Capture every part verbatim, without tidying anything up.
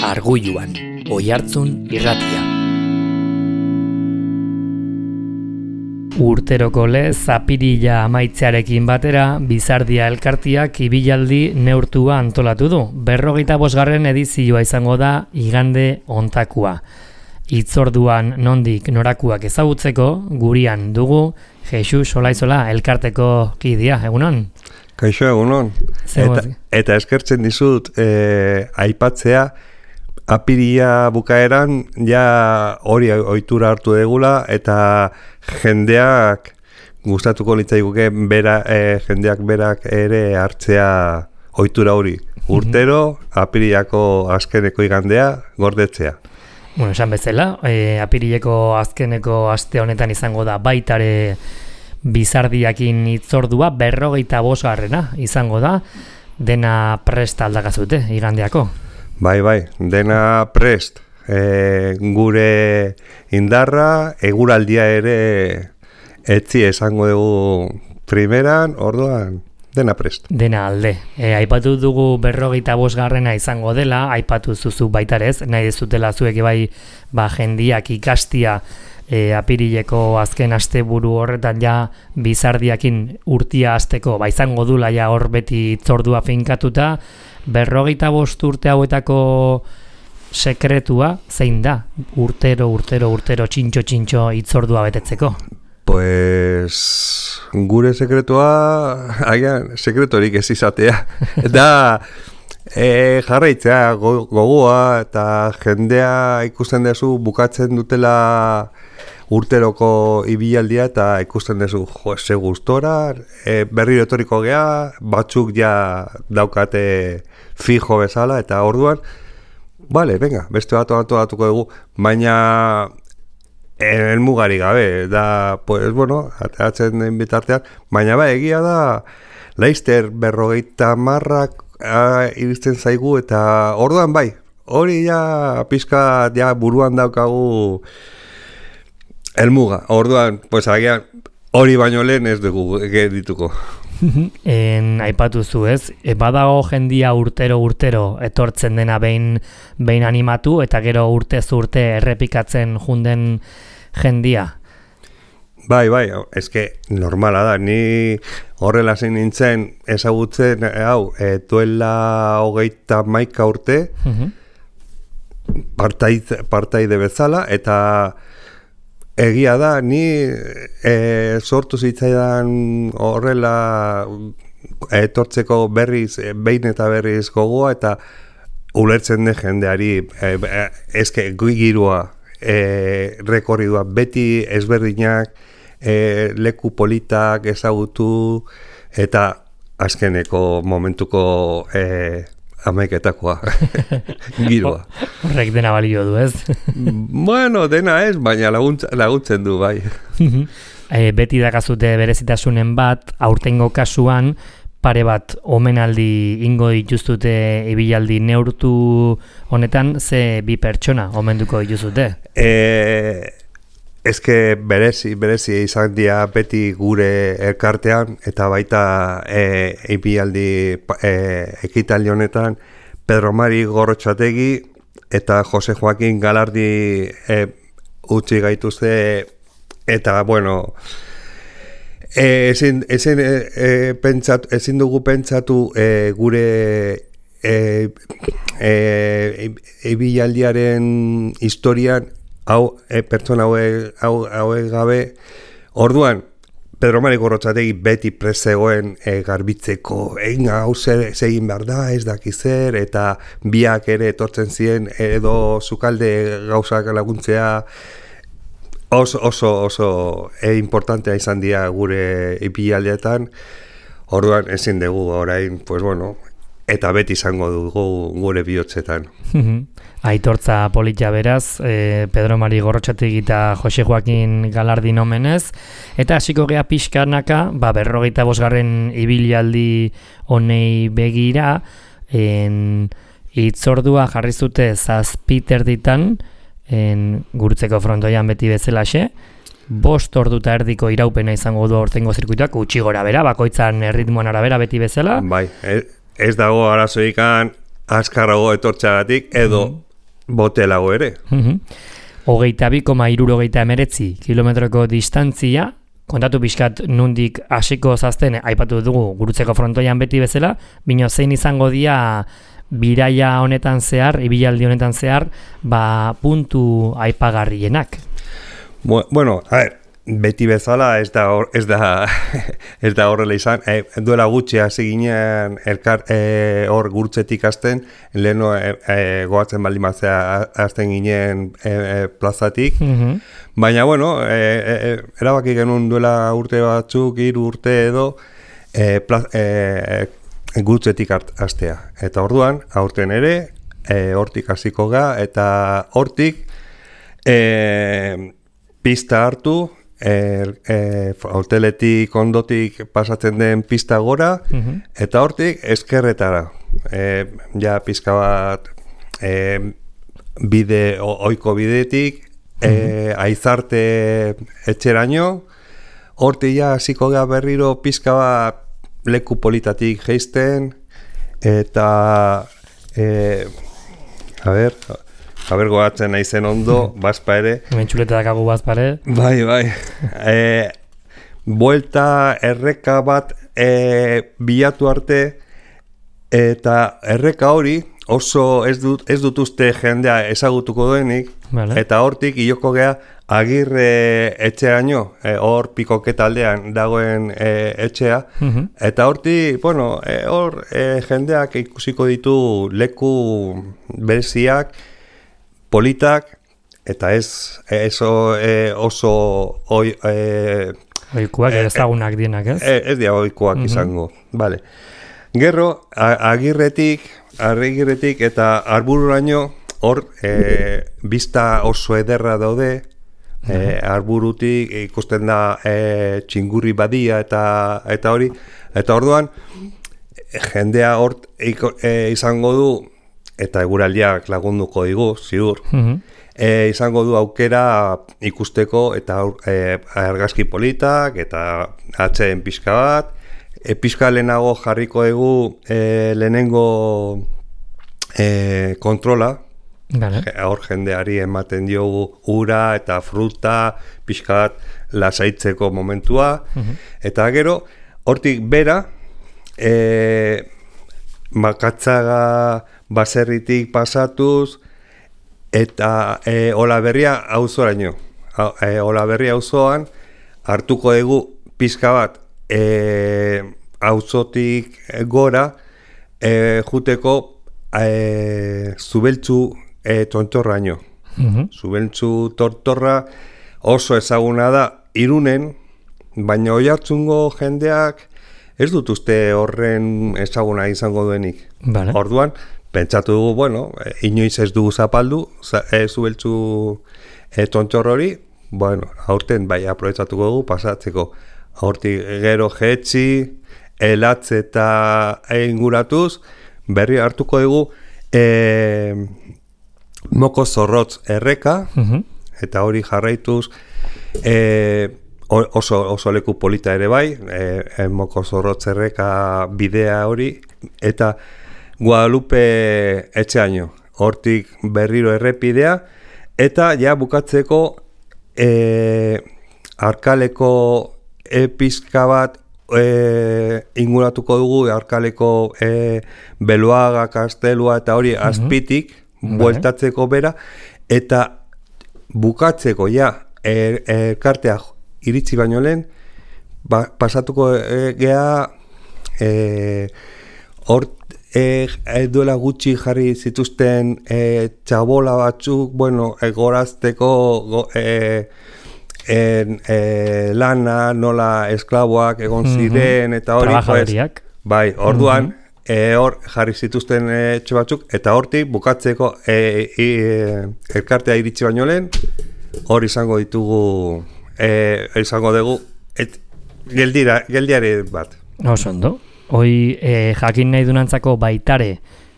Argulluan, Oihartzun irratia. Urteroko lez, apirila amaitzearekin batera, Bizardia elkartiak ibilaldi neurtua antolatu du. Berrogeita bosgarren edizioa izango da igande ontakua. Hitzorduan nondik norakuak ezagutzeko, gurian dugu Jesus Olaizola elkarteko kidea, egunon? Kaixo, egunon. Eta, eta eskertzen dizut, eh, aipatzea, apiria bukaeran ja hori ohitura hartu degula eta jendeak gustatuko litzaiguke bera, eh, jendeak berak ere hartzea ohitura hori. Urtero, apiriako azkeneko igandea gordetzea. Bueno, esan bezala, eh, apirileko azkeneko aste honetan izango da baitare Bizardiakin hitzordua berrogeita bosgarrena izango da, dena prest aldakazute igandeako. Bai, bai, dena prest. E, gure indarra, eguraldia ere etzi esango dugu primeran, orduan, dena prest. Dena alde. E, aipatu dugu berrogeita bosgarrena izango dela, aipatu zuzu baitarez, nahi dezutela zuek bai ba, jendiak ikastia e, apirileko azken asteburu horretan ja Bizardiakin urtia hasteko ba, izango dula ja hor beti hitzordua finkatuta. Berrogeita bost urte hauetako sekretua zein da? Urtero, urtero, urtero, txintxo, txintxo hitzordua betetzeko? Pues gure sekretua, agian, sekretorik ez izatea. Da e, jarraitzea gogoa eta jendea ikusten duzu bukatzen dutela urteroko ibilaldia eta ikusten duzu jo, ze gustora, e, berriro etorriko gea, batzuk ja daukate fijo bezala eta orduan, bale, venga, beste bat antolatuko dugu, baina helmugari gabe, da, pues, bueno, ateratzen den bitartean, baina ba, egia da, laizter berrogeita marrak iristen zaigu eta orduan bai, hori ja pizka ja buruan daukagu helmuga, orduan, pues agian hori baino lehen ez dugu dituko. En aipatu zu ez, e, badago jendia urtero urtero etortzen dena behin behin animatu eta gero urtez urte errepikatzen junden jendia. Bai, bai, eske normala da, ni horrela zein nintzen ezagutzen, hau, e, duela hogeita maika urte, uh-huh. partaide, partaide bezala, eta egia da, ni e, sortu zitzaidan horrela etortzeko berriz, behin eta berriz gogoa, eta ulertzen den jendeari, e, e, eske girua, e, rekorridua, beti ezberdinak, e, leku politak ezagutu, eta azkeneko momentuko e, amaiketakoa giroa. Horrek dena balio du, ez? Bueno, dena ez, baina laguntza, laguntzen du, bai. e, beti dakazute berezitasunen bat, aurtengo kasuan, pare bat omenaldi ingo dituzute ibilaldi neurtu honetan, ze bi pertsona omenduko dituzute? E, eske berezi, berezi izan dira beti gure elkartean, eta baita e, ibilaldi e, ekitaldi honetan, Pedro Mari Gorrotxategi eta Jose Joaquin Galardi e, utzi gaituzte, eta bueno, E, ezin, ezin, e, e, pentsatu, ezin dugu pentsatu e, gure e, e, ibilaldiaren historian hau e, pertsona haue, hau, haue gabe orduan Pedro Mari Gorrotxategi beti prezegoen e, garbitzeko egin hau zer egin behar da, ez daki zer, eta biak ere etortzen ziren edo sukalde gauzak laguntzea. Oso, oso, oso e importantea izan dira gure ibilaldeetan, orduan ezin dugu orain, pues bueno, eta beti izango dugu gure bihotzetan. Aitortza politia beraz, eh, Pedro Mari Gorrotxategi eta Jose Joaquin Galardi nomenez, eta hasiko gea pixkanaka, ba, berrogeita bosgarren ibilaldi honei begira, en, hitzordua jarri zute zazpiterditan, en gurutzeko frontoian beti bezalaxe, bost orduta erdiko iraupena izango du aurtengo zirkuituak, utxi gora bera, bakoitzan erritmoan arabera beti bezala. Bai, ez dago arazoikan azkarrago etortxagatik, edo mm. botelago ere. Mhm. Hogeita bi koma hirurogeita emeretzi kilometroko distantzia, kontatu pixkat nundik hasiko zazten, aipatu dugu Gurutzeko frontoian beti bezala, bino zein izango dia biraia honetan zehar, ibilaldi honetan zehar, ba puntu aipagarrienak. Bueno, a ver, beti bezala ez da hor, ez da ez da horrela izan. E, duela gutxi hasi ginen elkar e, hor Gurutzetik hasten, leheno e, e, goatzen baldin batzea hasten ginen e, e, plazatik. Mm-hmm. Baina bueno, e, e, erabaki genuen duela urte batzuk, hiru urte edo e, plaz, e, Gurutzetik hastea. Eta orduan, aurten ere, e, hortik hasiko ga, eta hortik e, pista hartu, e, e, hoteletik ondotik pasatzen den pista gora, uh-huh. eta hortik eskerretara. E, ja pizka bat e, bide, oiko bidetik, uh-huh. e, aizarte etxeraino, hortik ja hasiko ga berriro pizka bat leku politatik geisten, eta e, a ber, a ber goatzen naizen ondo, bazpa ere. Mentxuleta dakagu bazpa ere. Bai, bai. E, buelta erreka bat e, bilatu arte, eta erreka hori oso ez dut, ez dut uste jendea ezagutuko duenik, vale. Eta hortik iloko gea Agirre etxeaino, e, hor Pikoketa aldean dagoen e, etxea, uh-huh. eta hortik, bueno, e, hor e, jendeak ikusiko ditu leku bereziak, politak, eta ez, ez e, oso oi, e, oikuak e, ezagunak dienak, ez? Ez, ez dira oikuak uh-huh. izango, vale. Gero, Agirretik, Agirretik eta Arbururaino, hor, e, bista oso ederra daude, E, arburutik ikusten da e, txingurri badia eta eta hori, eta orduan jendea hor e, izango du, eta eguraldiak lagunduko digu, ziur, mm-hmm. e, izango du aukera ikusteko eta e, argazki politak eta atzeen pixka bat, e, pixka lehenago jarriko dugu e, lehenengo e, kontrola, Vale. Hor jendeari ematen diogu ura eta fruta, pixkat lasaitzeko momentua, uh-huh. eta gero, hortik bera, e, Makatzaga baserritik pasatuz, eta e, Olaberria auzoraino. E, Olaberria auzoan hartuko dugu pixka bat e, auzotik gora, e, juteko e, Zubeltzu E, tontorraino. Uh-huh. Zubeltzu tortorra oso ezaguna da Irunen, baina Oiartzungo jendeak ez dut uste horren ezaguna izango duenik. Vale. Orduan, pentsatu dugu, bueno, inoiz ez dugu zapaldu, e, Zubeltzu e, tontor hori, bueno, aurten bai aprobetxatuko dugu pasatzeko. Hortik gero jetzi, elatze eta inguratuz, berri hartuko dugu e, Moko Zorrotz erreka, uh-huh. eta hori jarraituz e, oso, oso leku polita ere bai, e, Moko Zorrotz erreka bidea hori, eta Guadalupe etxeaino, hortik berriro errepidea, eta ja bukatzeko e, Arkaleko e, pizka bat e, inguratuko dugu, Arkaleko e, Beloaga, Kastelua eta hori uh-huh. azpitik, bueltatzeko bera, eta bukatzeko ja elkartea er, iritsi baino lehen, ba, pasatuko e, gea e, hor e, e, duela gutxi jarri zituzten e, txabola batzuk, bueno, egorazteko go, e, en, e, lana, nola esklaboak egon ziren, mm-hmm. eta hori, pues, bai, orduan, mm-hmm. E, hor jarri zituzten etxe batzuk, eta hortik bukatzeko e, e, elkartea iritsi baino lehen, hor izango ditugu, e, izango dugu, et, geldira, geldiare bat. Oso ondo. Hoi e, jakin nahi dunantzako baitare,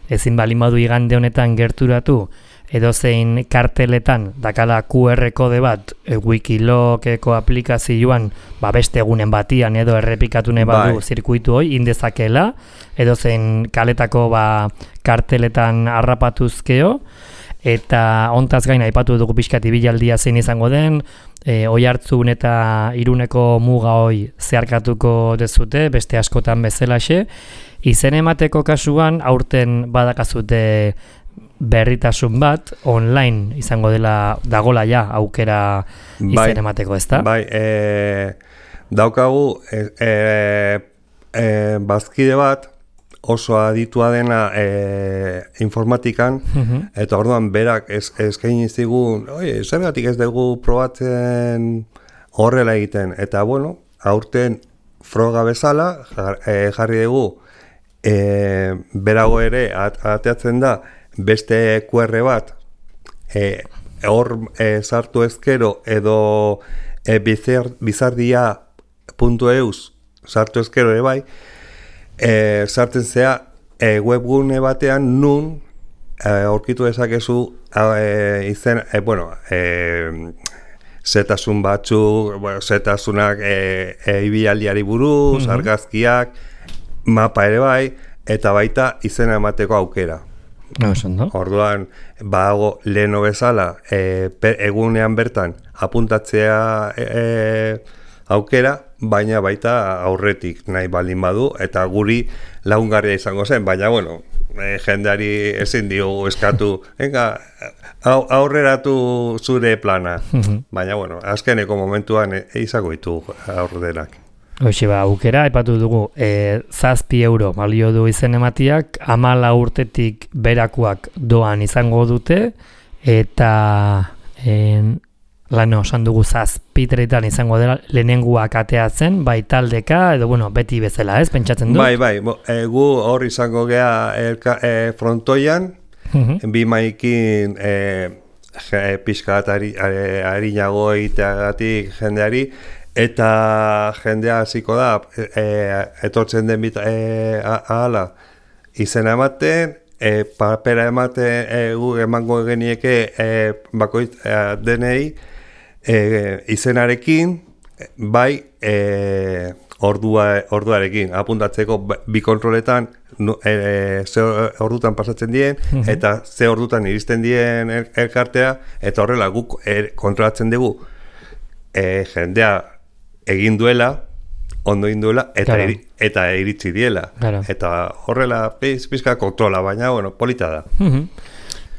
ezin balin badu igande honetan gerturatu, edozein karteletan dakala Q R kode bat e, Wikilokeko aplikazioan ba beste egunen batian edo errepikatu nahi badu zirkuitu hoi indezakela, edozein kaletako ba karteletan harrapatuzkeo, eta ontaz gain aipatu dugu pixkat ibilaldia zein izango den, e, Oiartzun eta Iruneko muga hoi zeharkatuko dezute, beste askotan bezalaxe. Izen emateko kasuan aurten badakazute berritasun bat, online izango dela dagola ja aukera izen bai, emateko, ezta? Bai, e, daukagu e, e, e, bazkide bat oso aditua dena e, informatikan, uh-huh. eta orduan berak eskaini zigun, oie, zergatik ez dugu probatzen horrela egiten, eta bueno, aurten froga bezala jar, e, jarri dugu e, berago ere at, ateatzen da beste Q R bat e, hor e, sartu ezkero edo e, bizar, bizardia puntu eus sartu ezkero ere bai, E, sartzen zea e, webgune batean nun e, aurkitu dezakezu e, izen, e, bueno, e, zetasun batzuk, bueno, zetasunak e, e, ibilaldiari buruz, mm-hmm. argazkiak, mapa ere bai, eta baita izena emateko aukera. No, orduan, bago leheno bezala, e, per, egunean bertan apuntatzea e, e, aukera, baina baita aurretik nahi baldin badu, eta guri lagungarria izango zen, baina bueno, e, jendeari ezin diogu eskatu, venga, aurreratu zure plana, mm-hmm. baina bueno, azkeneko momentuan e, izango ditu aurrenak. Hoxe ba, aukera, epatu dugu, e, zazpi euro balio du izen ematiak, hamala urtetik berakuak doan izango dute, eta en, lano, esan dugu zazpitretan izango dela lehenenguak ateatzen, bai taldeka, edo bueno, beti bezala, ez, pentsatzen dut? Bai, bai, e, gu hor izango gea elka, e, frontoian, uh-huh. bi maikin e, pixka bat ari, ari nago egiteagatik jendeari, eta jendea hasiko da, e, etortzen den bita, e, ahala, izena ematen, e, papera ematen, e, gu emango genieke e, bakoit e, denei, E, izenarekin, bai e, ordua, orduarekin, apuntatzeko bi kontroletan e, ze ordutan pasatzen dien, uh-huh. eta ze ordutan iristen dien el, elkartea, eta horrela guk er, kontrolatzen dugu e, jendea egin duela, ondo egin duela, eta, claro. iri, eta iritsi diela. Claro. Eta horrela piz, pizka kontrola, baina bueno, polita da. Uh-huh.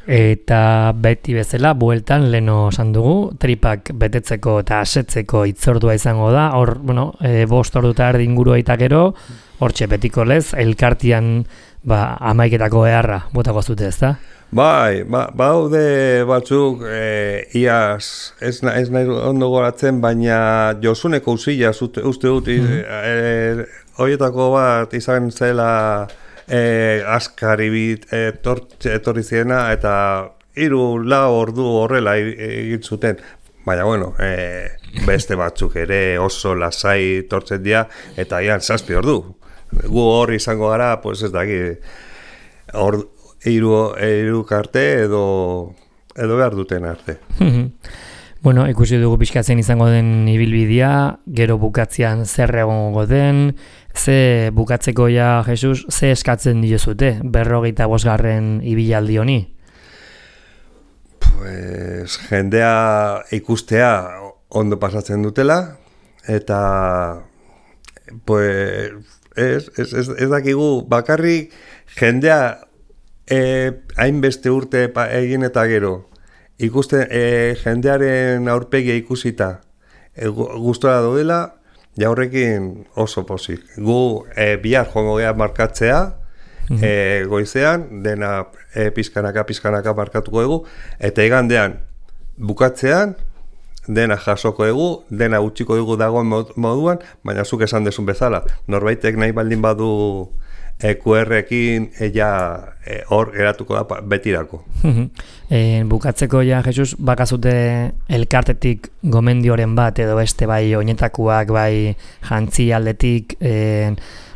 Eta beti bezala, bueltan leno esan dugu, tripak betetzeko eta asetzeko itzordua izango da, hor, bueno, e, bost orduta erdi ingurua eta gero, hortxe betiko lez, elkartian ba, amaiketako beharra botako zute, ez da? Bai, ba, baude batzuk, e, iaz, ez, ez nahi ondo goratzen, baina Josuneko usila uste dut, mm-hmm. e, horietako bat izan zela E, askari bit etorri ziena eta hiru lau ordu horrela egin zuten, baina bueno, e, beste batzuk ere oso lasai tortzen dira eta ian zazpi ordu. Gu hor izango gara, pues ez daki, hiru hiru arte edo edo behar duten arte. Bueno, ikusi dugu pixkatzen izango den ibilbidea, gero bukatzean zer egongo den, ze bukatzeko ja, Jesus, ze eskatzen diozute, berrogeita bosgarren ibilaldi honi? Pues, jendea ikustea ondo pasatzen dutela, eta pues, ez, ez, ez, ez dakigu bakarrik jendea eh, hainbeste urte egin eta gero, ikusten e, jendearen aurpegia ikusita e, gustora daudela, ja horrekin oso pozik. Gu e, bihar joango gea markatzea, mm-hmm. e, goizean, dena e, pizkanaka, pizkanaka markatuko dugu, eta igandean bukatzean, dena jasoko dugu, dena utxiko dugu dagoen moduan, baina zuk esan dezun bezala. Norbaitek nahi baldin badu E Q R-ekin ella e, hor geratuko da betirako. e, bukatzeko ja, Jesus, bakazute elkartetik gomendioren bat edo beste bai oinetakuak, bai jantzi aldetik, e,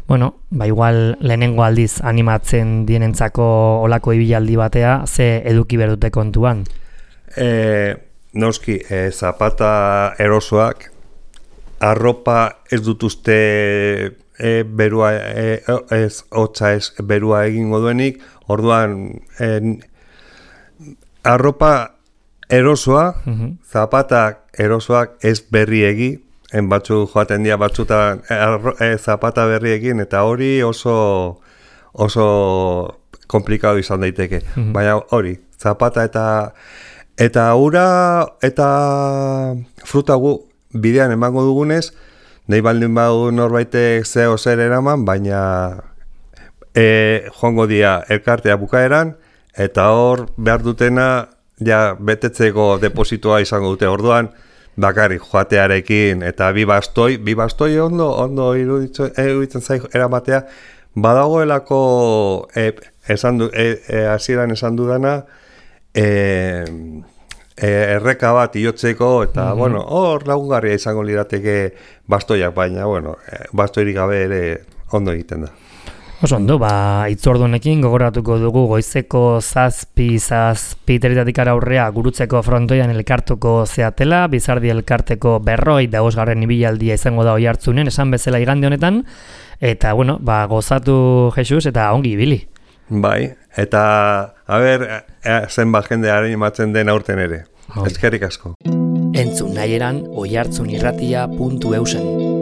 bueno, ba igual lehenengo aldiz animatzen dienentzako olako ibilaldi batea, ze eduki berdute kontuan? E, noski, e, zapata erosoak, arropa ez dut uste E, berua, e, ez, hotza ez berua egingo duenik, orduan e, arropa erosoa, Mhm. zapatak erosoak ez berriegi, en batzu joaten dira batzutan e, zapata berriekin, eta hori oso oso komplikado izan daiteke. Mhm. Baina hori, zapata eta eta ura eta fruta gu bidean emango dugunez, nahi baldin badu norbaitek zeo zer eraman, baina e, joango dira elkartea bukaeran, eta hor behar dutena ja betetzeko depositoa izango dute. Orduan, bakarrik joatearekin eta bi bastoi, bi bastoi ondo, ondo iruditzen, iruditzen zai eramatea, badagoelako e, esan du, e, e, hasieran esan dudana, e, e, erreka bat iotzeko, eta, mm-hmm. bueno, hor lagungarria izango lirateke bastoiak, baina, bueno, bastoirik gabe ere ondo egiten da. Oso ondo, ba, itzordunekin gogoratuko dugu goizeko zazpi, zazpi teritatikara aurrea gurutzeko frontoian elkartuko zeatela, Bizardi elkarteko berroi da osgarren ibilaldia izango da oihartzunen, esan bezala igande honetan, eta, bueno, ba, gozatu Jesus eta ongi ibili. Bai, eta, a ber, zenbat jendearen imatzen den aurten ere. Eskerrik asko. Entzun nahieran oihartzunirratia puntu eusen.